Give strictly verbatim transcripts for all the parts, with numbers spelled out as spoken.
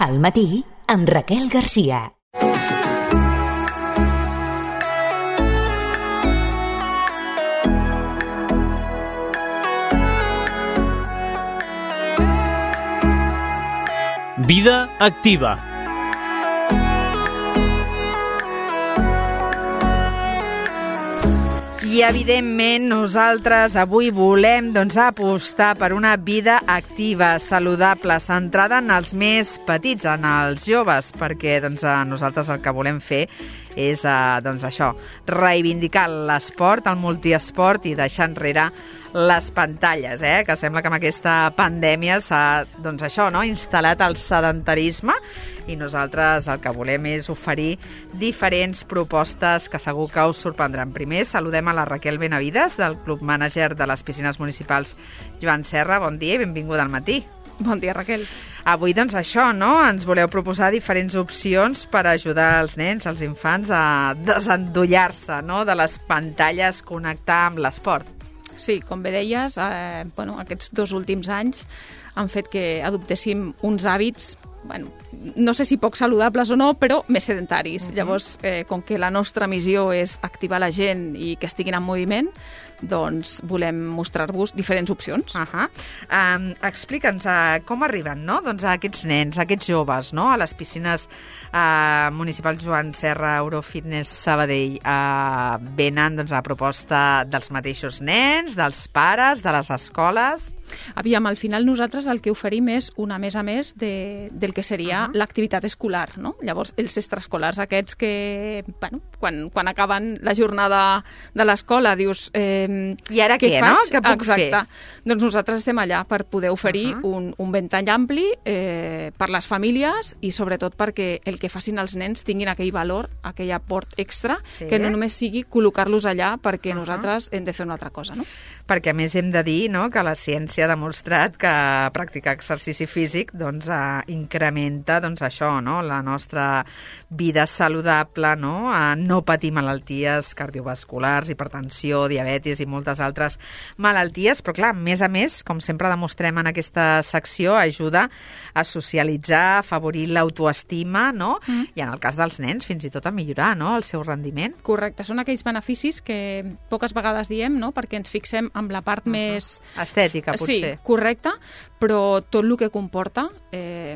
Al matí, amb Raquel Garcia. Vida activa. I, evidentment, nosaltres avui volem doncs, apostar per una vida activa, saludable, centrada en els més petits, en els joves, perquè doncs, nosaltres el que volem fer és eh, doncs, això, reivindicar l'esport, el multiesport i deixar enrere les pantalles, eh? Que sembla que amb aquesta pandèmia s'ha doncs, això, no? instal·lat el sedentarisme i nosaltres el que volem és oferir diferents propostes que segur que us sorprendran. Primer, saludem a la Raquel Benavides, del Club Mànager de les Piscines Municipals Joan Serra. Bon dia i benvinguda al matí. Bon dia, Raquel. Avui, doncs, això, no? Ens voleu proposar diferents opcions per ajudar els nens, els infants, a desendollar-se, no?, de les pantalles, connectar amb l'esport. Sí, com bé deies, eh, bueno, aquests dos últims anys han fet que adoptéssim uns hàbits, bueno, no sé si poc saludables o no, però més sedentaris. Uh-huh. Llavors, eh, com que la nostra missió és activar la gent i que estiguin en moviment, doncs volem mostrar-vos diferents opcions. Uh-huh. um, Explica'ns uh, com arriben, no?, doncs, a aquests nens, a aquests joves, no?, a les piscines uh, municipals Joan Serra, Eurofitness Sabadell. Uh, venen doncs, a proposta dels mateixos nens, dels pares, de les escoles. Aviam, al final nosaltres el que oferim és una més a més de, del que seria uh-huh. l'activitat escolar, no? Llavors, els extraescolars aquests que, bueno, quan, quan acaben la jornada de l'escola dius... Eh, I ara què, què no? Què puc Exacte. fer? Doncs nosaltres estem allà per poder oferir uh-huh. un, un ventall ampli eh, per les famílies i sobretot perquè el que facin els nens tinguin aquell valor, aquell aport extra, sí. que no només sigui col·locar-los allà perquè uh-huh. nosaltres hem de fer una altra cosa, no? Perquè a més hem de dir, no?, que la ciència ha demostrat que practicar exercici físic doncs, eh, incrementa doncs, això, no?, la nostra vida saludable, no?, a no patir malalties cardiovasculars, hipertensió, diabetis i moltes altres malalties, però clar, a més a més, com sempre demostrem en aquesta secció, ajuda a socialitzar, a afavorir l'autoestima, no?, mm. i en el cas dels nens fins i tot a millorar, no?, el seu rendiment. Correcte, són aquells beneficis que poques vegades diem, no?, perquè ens fixem amb la part uh-huh. més... estètica, potser. Sí, correcte, però tot el que comporta... Eh,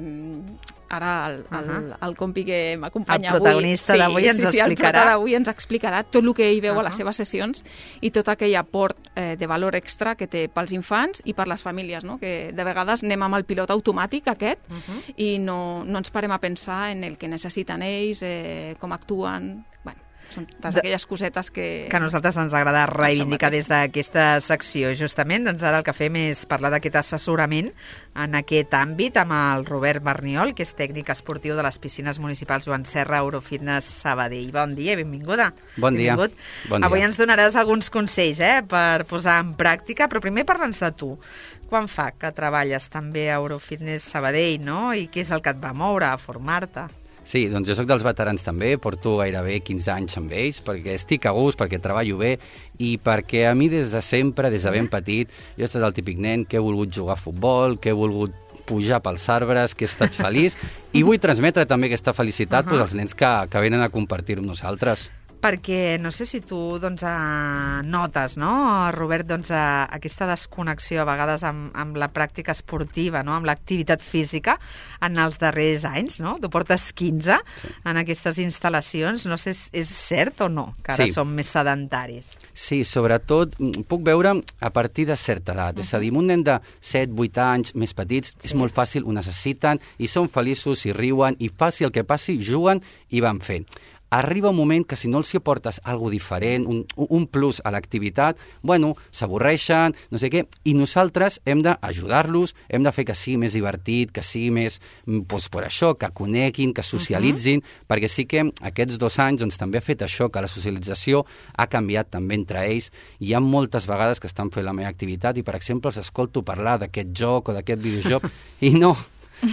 ara el, el, uh-huh. el compi que m'acompanya avui... El protagonista avui, d'avui sí, ens sí, sí, explicarà. El d'avui ens explicarà tot el que ell veu uh-huh. a les seves sessions i tot aquell aport eh, de valor extra que té pels infants i per les famílies, no? Que de vegades anem amb el pilot automàtic aquest uh-huh. i no, no ens parem a pensar en el que necessiten ells, eh, com actuen... Bueno, són totes aquelles cosetes que... Que a nosaltres ens agrada reivindicar des d'aquesta secció. Justament, doncs ara el que fem és parlar d'aquest assessorament en aquest àmbit amb el Robert Barniol, que és tècnic esportiu de les piscines municipals Joan Serra, Eurofitness Sabadell. Bon dia i benvinguda. Bon dia. Benvingut. Bon dia. Avui ens donaràs alguns consells eh, per posar en pràctica, però primer parla'ns de tu. Quan fa que treballes també a Eurofitness Sabadell, no? I què és el que et va moure a formar-te? Sí, doncs jo soc dels veterans també, porto gairebé quinze anys amb ells, perquè estic a gust, perquè treballo bé i perquè a mi des de sempre, des de ben petit, jo he estat el típic nen que he volgut jugar a futbol, que he volgut pujar pels arbres, que he estat feliç i vull transmetre també aquesta felicitat uh-huh. pues, als nens que, que venen a compartir amb nosaltres. Perquè no sé si tu doncs, eh, notes, no, Robert, doncs, eh, aquesta desconnexió a vegades amb, amb la pràctica esportiva, no, amb l'activitat física en els darrers anys, no? Tu portes quinze sí. en aquestes instal·lacions, no sé, és, és cert o no, que ara sí. som més sedentaris? Sí, sobretot puc veure a partir de certa edat, uh-huh. és a dir, un nen de set vuit anys més petits, sí. és molt fàcil, ho necessiten i són feliços i riuen i passi el que passi, juguen i van fent. Arriba un moment que si no els hi aportes alguna diferent, un, un plus a l'activitat, bueno, s'avorreixen, no sé què, i nosaltres hem d'ajudar-los, hem de fer que sigui més divertit, que sigui més, doncs per això, que coneguin, que socialitzin, uh-huh. perquè sí que aquests dos anys doncs, també ha fet això, que la socialització ha canviat també entre ells. Hi ha moltes vegades que estan fent la meva activitat i, per exemple, els escolto parlar d'aquest joc o d'aquest videojoc i no,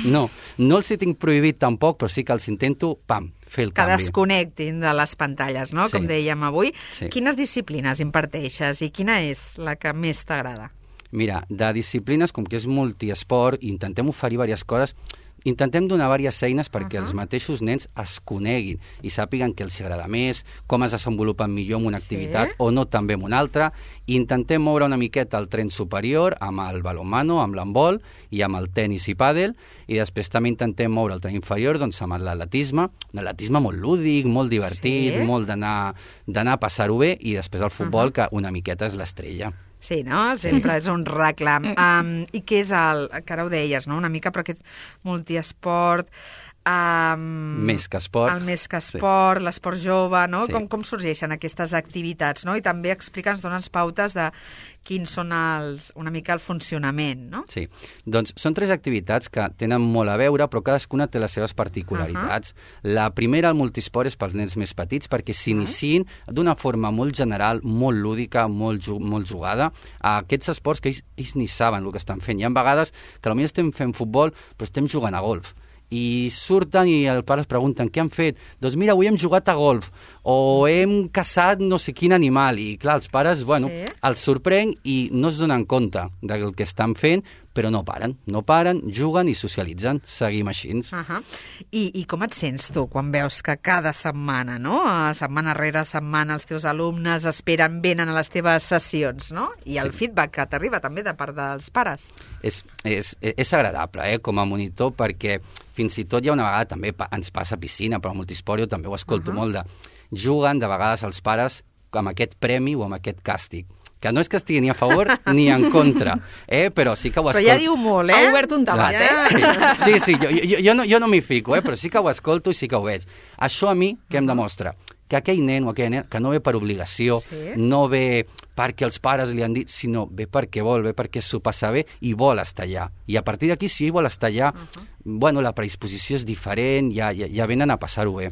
no, no els hi tinc prohibit tampoc, però sí que els intento, pam, fer el que canvi. desconnectin de les pantalles, no? Sí. Com dèiem avui. Sí. Quines disciplines imparteixes i quina és la que més t'agrada? Mira, de disciplines, com que és multiesport, intentem oferir diverses coses, intentem donar diverses eines perquè Uh-huh. els mateixos nens es coneguin i sàpiguen què els agrada més, com es desenvolupen millor en una activitat Sí. o no també en una altra. I intentem moure una miqueta el tren superior amb el balonmano, amb l'handbol i amb el tennis i pàdel, i després també intentem moure el tren inferior doncs, amb l'atletisme, un atletisme molt lúdic, molt divertit, Sí. molt d'anar d'anar a passar-ho bé, i després el futbol, Uh-huh. que una miqueta és l'estrella. Sí, no? Sempre és un reclam. Um, I què és el... que ara ho deies, no? Una mica per aquest multiesport... Um, Més que esport. El més que Sí. esport, l'esport jove, no? Sí. Com, com sorgeixen aquestes activitats, no? I també explica'ns, dona'ns pautes de quins són els, una mica el funcionament, no? Sí, doncs són tres activitats que tenen molt a veure, però cadascuna té les seves particularitats. Uh-huh. La primera, el multisport, és pels nens més petits perquè s'iniciïn uh-huh. d'una forma molt general, molt lúdica, molt, ju- molt jugada, a aquests esports que ells, ells ni saben el que estan fent. Hi ha vegades que potser estem fent futbol, però estem jugant a golf. I surten i els pares pregunten què han fet? Doncs mira, avui hem jugat a golf o hem caçat no sé quin animal, i clar, els pares, bueno, Sí. els sorprèn i no es donen compte del que estan fent, però no paren, no paren, juguen i socialitzen, seguim així. Uh -huh. I, I com et sents tu quan veus que cada setmana, no? A setmana rere setmana, els teus alumnes esperen, venen a les teves sessions, no? I el Sí. feedback que t'arriba també de part dels pares. És, és, és agradable, eh, com a monitor, perquè fins i tot hi ha una vegada també pa, ens passa a piscina, però al multiesport jo també ho escolto Uh-huh. molt de... Juguen de vegades els pares amb aquest premi o amb aquest càstig, que no és que estigui ni a favor ni en contra, eh? Però sí que ho Però escolto. ja diu molt, eh? Ha obert un debat, Ja. eh? Sí, sí, jo, jo, jo, no, jo no m'hi fico, eh? Però sí que ho escolto i sí que ho veig. Això a mi què em demostra? Que aquell nen o aquella nena que no ve per obligació, Sí. no ve perquè els pares li han dit, sinó ve perquè vol, ve perquè s'ho passa bé i vol estar allà. I a partir d'aquí, si ell vol estar allà, uh-huh. bueno, la predisposició és diferent, ja, ja, ja venen a passar-ho bé.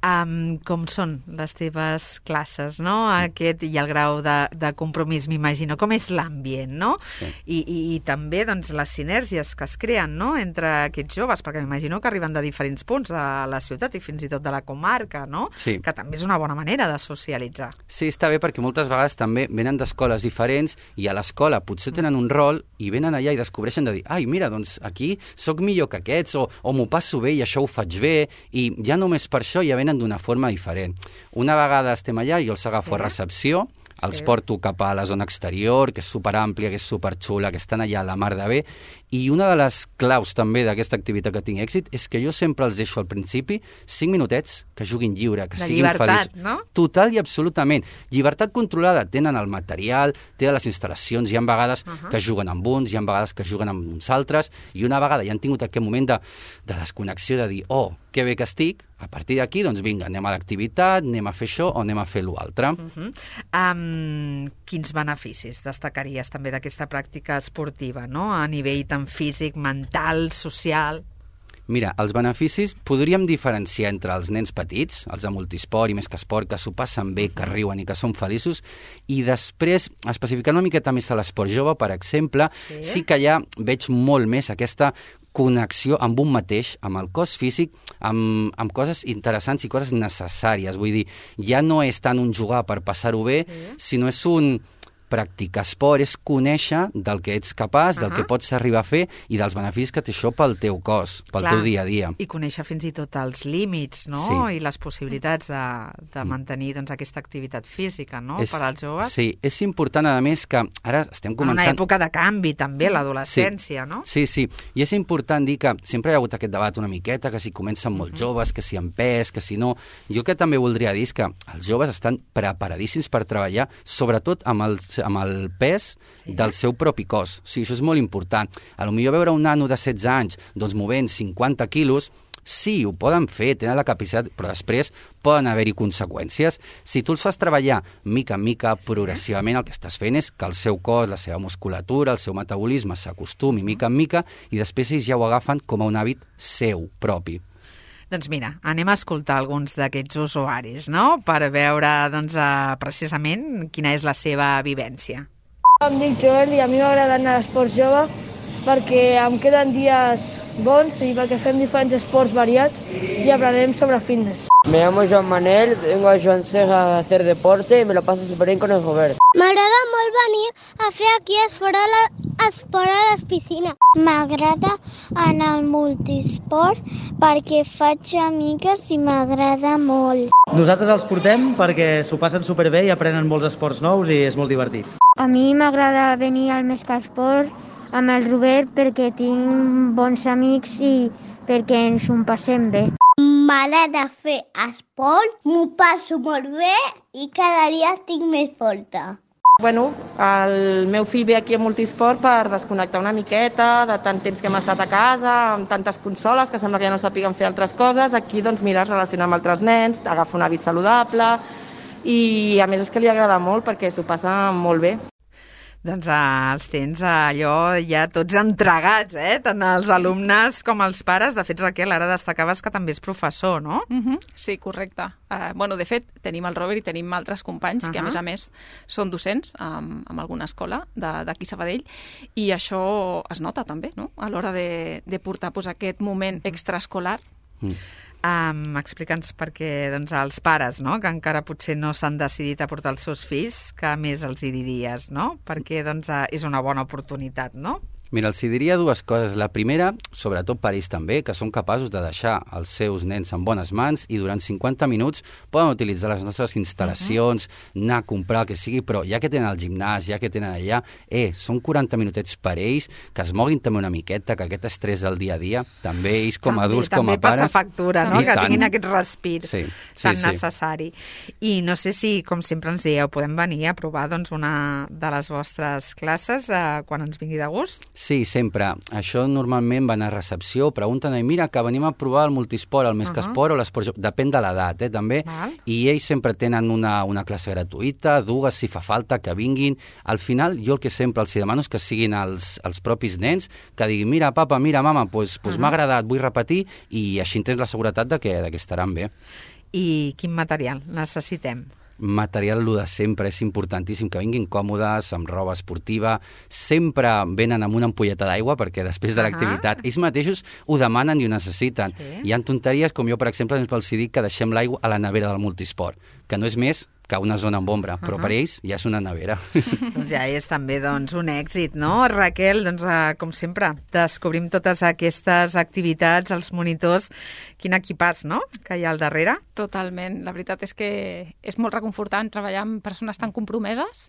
Um, com són les teves classes, no? Aquest i el grau de, de compromís, m'imagino. Com és l'ambient, no? Sí. I, i, I també doncs, les sinergies que es creen, no?, entre aquests joves, perquè m'imagino que arriben de diferents punts de la ciutat i fins i tot de la comarca, no? Sí. Que també és una bona manera de socialitzar. Sí, està bé perquè moltes vegades també venen d'escoles diferents i a l'escola potser tenen un rol i venen allà i descobreixen de dir, ai, mira, doncs aquí sóc millor que aquests, o, o m'ho passo bé i això ho faig bé, i ja només per això ja venen d'una forma diferent. Una vegada estem allà, jo els agafo Sí. a recepció, els Sí. porto cap a la zona exterior, que és superàmplia, que és superxula, que estan allà a la mar de bé, i una de les claus també d'aquesta activitat que tinc èxit és que jo sempre els deixo al principi cinc minutets que juguin lliure, que De siguin llibertat, feliços. no? Total i absolutament. Llibertat controlada. Tenen el material, tenen les instal·lacions, hi ha vegades Uh-huh. que juguen amb uns, hi ha vegades que juguen amb uns altres, i una vegada ja han tingut aquest moment de, de desconnexió, de dir, oh, que bé que estic, a partir d'aquí, doncs vinga, anem a l'activitat, anem a fer això o anem a fer l'altre. Uh -huh. um, quins beneficis destacaries també d'aquesta pràctica esportiva, no? A nivell tant físic, mental, social... Mira, els beneficis podríem diferenciar entre els nens petits, els de multisport i més que esport, que s'ho passen bé, que riuen i que són feliços, i després, especificant una miqueta més a l'esport jove, per exemple, Sí. sí, sí que ja veig molt més aquesta connexió amb un mateix, amb el cos físic, amb, amb coses interessants i coses necessàries. Vull dir, ja no és tant un jugar per passar-ho bé, Sí. sinó és un practicar esport, és conèixer del que ets capaç, del Uh-huh. que pots arribar a fer i dels beneficis que té això pel teu cos, pel Clar, teu dia a dia. I conèixer fins i tot els límits, no? Sí. I les possibilitats de, de mantenir doncs, aquesta activitat física, no? Per als joves. Sí, és important, a més, que ara estem En començant... una època de canvi, també, l'adolescència, sí. no? Sí, sí, i és important dir que sempre hi ha hagut aquest debat una miqueta, que si comencen molt joves, que si amb pes, que si no... Jo que també voldria dir és que els joves estan preparadíssims per treballar, sobretot amb el, amb el pes Sí. del seu propi cos. O sigui, això és molt important. A lo millor veure un nano de setze anys doncs, movent cinquanta quilos, sí, ho poden fer, tenen la capacitat, però després poden haver-hi conseqüències. Si tu els fas treballar mica en mica, progressivament, el que estàs fent és que el seu cos, la seva musculatura, el seu metabolisme s'acostumi mica en mica i després ells ja ho agafen com a un hàbit seu propi. Doncs mira, anem a escoltar alguns d'aquests usuaris, no?, per veure, doncs, eh, precisament quina és la seva vivència. Em dic Joel i a mi m'agrada anar a l'esport jove perquè em queden dies bons i perquè fem diferents esports variats i aprenem sobre fitness. Me llamo Joan Manel, vengo a Joan Sega a hacer deporte y me lo paso súper bien con el Robert. M'agrada molt venir a fer aquí esport a, la, esport a les piscines. M'agrada anar al multisport perquè faig amigues i m'agrada molt. Nosaltres els portem perquè s'ho passen superbé i aprenen molts esports nous i és molt divertit. A mi m'agrada venir al Mescasport amb el Robert perquè tinc bons amics i perquè ens ho passem bé. M'agrada fer esport, m'ho passo molt bé i cada dia estic més forta. Bueno, el meu fill ve aquí a Multisport per desconnectar una miqueta de tant temps que hem estat a casa, amb tantes consoles que sembla que ja no sàpiguen fer altres coses. Aquí doncs mira, es relaciona amb altres nens, agafa un hàbit saludable i a més és que li agrada molt perquè s'ho passa molt bé. Doncs eh, els tens allò ja tots entregats, eh? Tant els alumnes com els pares. De fet, Raquel, ara destacaves que també és professor, no? Uh-huh. Sí, correcte. Uh, bueno, de fet, tenim el Robert i tenim altres companys uh-huh. que, a més a més, són docents um, en alguna escola d'aquí Sabadell i això es nota també, no?, a l'hora de, de portar pues, aquest moment extraescolar. Mm. Um, Explica'ns perquè doncs, els pares, no?, que encara potser no s'han decidit a portar els seus fills, que més els hi diries, no? Perquè doncs, és una bona oportunitat, no? Mira, els diria dues coses. La primera, sobretot per ells també, que són capaços de deixar els seus nens en bones mans i durant cinquanta minuts poden utilitzar les nostres instal·lacions, uh-huh. anar a comprar el que sigui, però ja que tenen el gimnàs, ja que tenen allà, eh, són quaranta minutets per ells, que es moguin també una miqueta, que aquest estrès del dia a dia, també ells com a adults, també, com a pares... També passa factura, no?, que tant. Tinguin aquest respir sí, sí, tan sí. necessari. I no sé si, com sempre ens dieu, podem venir a provar doncs, una de les vostres classes eh, quan ens vingui de gust? Sí, sempre. Això normalment van a recepció, pregunten, mira, que venim a provar el multisport, el Mescasport uh-huh. o l'esport, depèn de l'edat, eh, també, Val. I ells sempre tenen una, una classe gratuïta, dues, si fa falta, que vinguin. Al final, jo el que sempre els demano és que siguin els, els propis nens, que diguin, mira, papa, mira, mama, pues, pues uh-huh. m'ha agradat, vull repetir, i així tens la seguretat de que, de que estaran bé. I quin material necessitem? Material, lo de sempre, és importantíssim que vinguin còmodes, amb roba esportiva, sempre venen amb una ampolleta d'aigua perquè després de l'activitat uh-huh. ells mateixos ho demanen i ho necessiten. Sí. Hi ha tonteries com jo, per exemple, els dic que deixem l'aigua a la nevera del multisport, que no és més que una zona amb ombra, però uh-huh. per ells ja és una nevera. Doncs ja és també doncs, un èxit, no? Raquel, doncs, eh, com sempre, descobrim totes aquestes activitats, els monitors, quin equipàs, no?, que hi ha al darrere. Totalment. La veritat és que és molt reconfortant treballar amb persones tan compromeses,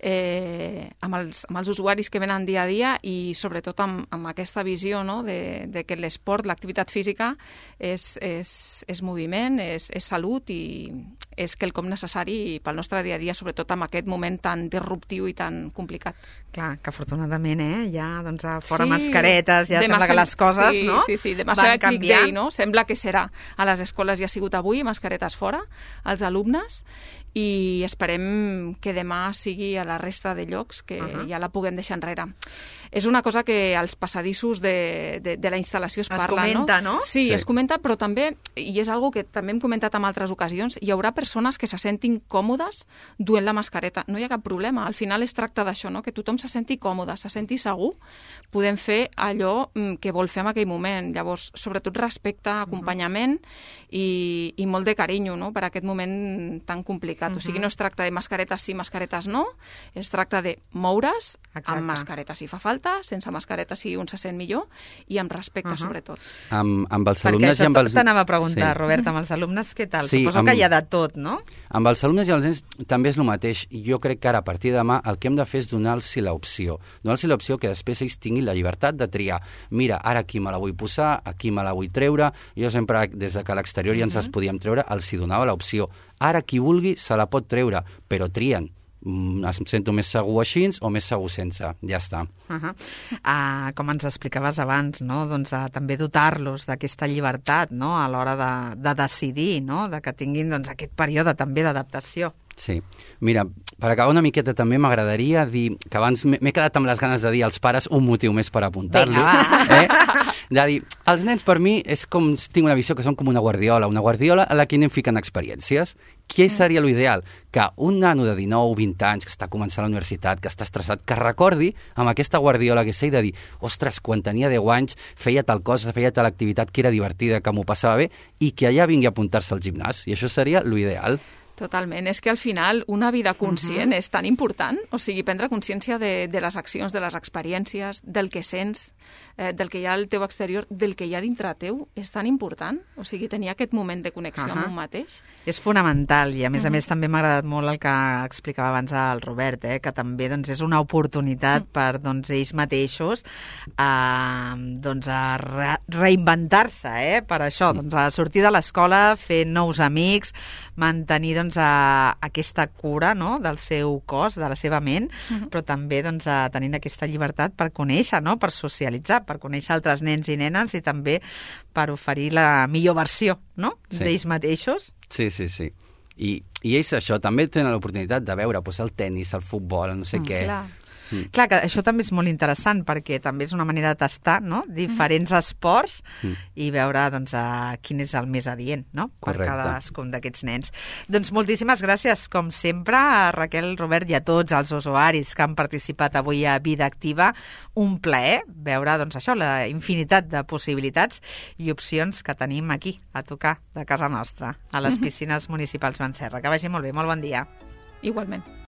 eh, amb, els, amb els usuaris que venen dia a dia i sobretot amb, amb aquesta visió, no?, de, de que l'esport, l'activitat física és, és, és moviment, és, és salut i és quelcom necessari pel nostre dia a dia, sobretot en aquest moment tan disruptiu i tan complicat. Clar, que afortunadament, eh, ja doncs, fora sí, mascaretes, ja sembla que les coses, sí, no?, sí, sí, demà van serà canviant. Click Day, no? Sembla que serà. A les escoles ja ha sigut avui, mascaretes fora, als alumnes, i esperem que demà sigui a la resta de llocs que uh-huh. ja la puguem deixar enrere. És una cosa que als passadissos de, de, de la instal·lació es, es parla, comenta, no? no? Sí, sí, es comenta, però també, i és algo que també hem comentat en altres ocasions, hi haurà persones que se sentin còmodes duent la mascareta. No hi ha cap problema. Al final es tracta d'això, no?, que tothom se senti còmode, se senti segur. Podem fer allò que vol fer en aquell moment. Llavors, sobretot respecte, acompanyament uh-huh. i, i molt de carinyo, no?, per aquest moment tan complicat. Uh-huh. O sigui, no es tracta de mascaretes sí, mascaretes no, es tracta de moure's Exacte. Amb mascareta si fa falta, sense mascareta si un se sent millor i amb respecte, uh-huh. sobretot. Amb, amb els alumnes Perquè i amb els... Perquè això t'anava a preguntar, sí. Robert, amb els alumnes què tal? Sí, Suposo amb... que hi ha de tot, no? Amb els alumnes i els nens també és el mateix. Jo crec que ara, a partir de demà, el que hem de fer és donar-los l'opció. Donar-los l'opció que després ells tinguin la llibertat de triar. Mira, ara aquí me la vull posar, aquí me la vull treure. Jo sempre, des de que a l'exterior ja ens les podíem treure, els hi donava l'opció. Ara qui vulgui se la pot treure, però trien. Em sento més segur així o més segur sense. Ja està. Uh-huh. Uh, com ens explicaves abans, no? Doncs, uh, també dotar-los d'aquesta llibertat, no?, a l'hora de, de decidir, no?, de que tinguin doncs, aquest període també d'adaptació. Sí. Mira, per acabar una miqueta també m'agradaria dir, que abans m'he quedat amb les ganes de dir als pares un motiu més per apuntar-li. Eh? De dir, els nens per mi és com, tinc una visió que són com una guardiola, una guardiola a la que anem ficant experiències. Què seria l'ideal? Que un nano de dinou o vint anys que està començant la universitat, que està estressat, que recordi amb aquesta guardiola que sé de dir, ostres, quan tenia deu anys feia tal cosa, feia tal activitat que era divertida, que m'ho passava bé, i que allà vingui a apuntar-se al gimnàs. I això seria l'ideal. Totalment. És que al final una vida conscient uh-huh. és tan important, o sigui, prendre consciència de, de les accions, de les experiències, del que sents, eh, del que hi ha al teu exterior, del que hi ha dintre teu, és tan important. O sigui, tenir aquest moment de connexió uh-huh. amb un mateix. És fonamental i, a més uh-huh. a més, també m'ha agradat molt el que explicava abans el Robert, eh, que també doncs, és una oportunitat uh-huh. per doncs, ells mateixos a, doncs, a re reinventar-se, eh, per això, doncs, a sortir de l'escola, fer nous amics, mantenir doncs, a aquesta cura, no?, del seu cos, de la seva ment, uh-huh. però també doncs, a tenint aquesta llibertat per conèixer, no?, per socialitzar, per conèixer altres nens i nenes i també per oferir la millor versió, no?, sí. d'ells mateixos. Sí, sí, sí. I, i ells això també tenen l'oportunitat de veure pues, el tennis, el futbol, el no sé mm, què. Clar. Mm. Clar, que això també és molt interessant perquè també és una manera de tastar, no?, diferents mm. esports mm. i veure doncs, a quin és el més adient, no?, per cadascun d'aquests nens. Doncs moltíssimes gràcies, com sempre, a Raquel, Robert i a tots els usuaris que han participat avui a Vida Activa. Un plaer veure doncs, això, la infinitat de possibilitats i opcions que tenim aquí, a tocar de casa nostra, a les piscines municipals Joan Serra. Que vagi molt bé, molt bon dia. Igualment.